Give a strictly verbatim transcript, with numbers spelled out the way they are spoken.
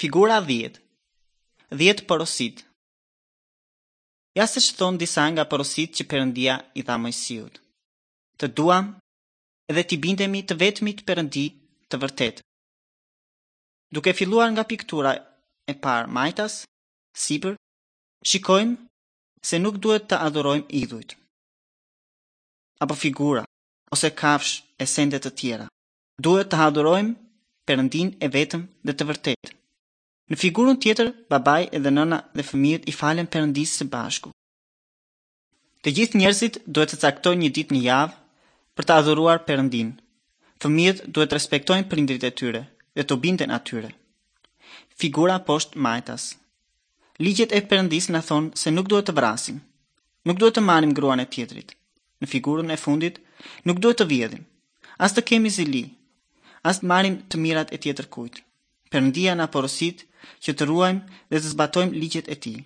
Figura dhjetë. Dhjetë porositë. Ja se ç'thonë disa nga porositë që Perëndia i dha Moisiut. Të duam edhe t'i bindemi të vetmit Perëndi të vërtetë. Duke filluar nga piktura e parë majtas, sipër, shikojmë se nuk duhet të adhurojmë idhujt apo figura ose kafshë e sende të tjera. Duhet të adhurojmë Perëndin e vetëm dhe të vërtetë. Në figurën tjetër, babai edhe nëna dhe fëmijët i falen Perëndisë së bashku. Të gjithë njerëzit duhet të caktojnë një ditë në javë për të adhuruar Perëndin. Fëmijët duhet të respektojnë prindërit e tyre dhe t'u binden atyre. Figura poshtë majtas. Ligjet e Perëndisë na thonë se nuk duhet të vrasim, nuk duhet të marrim gruan e tjetrit. Në figurën e fundit, nuk duhet të vjedhim, as të kemi zili, as të marrim të mirat e tjetër kujt. Perëndia na porosit që të ruajmë dhe të zbatojmë ligjet e tij.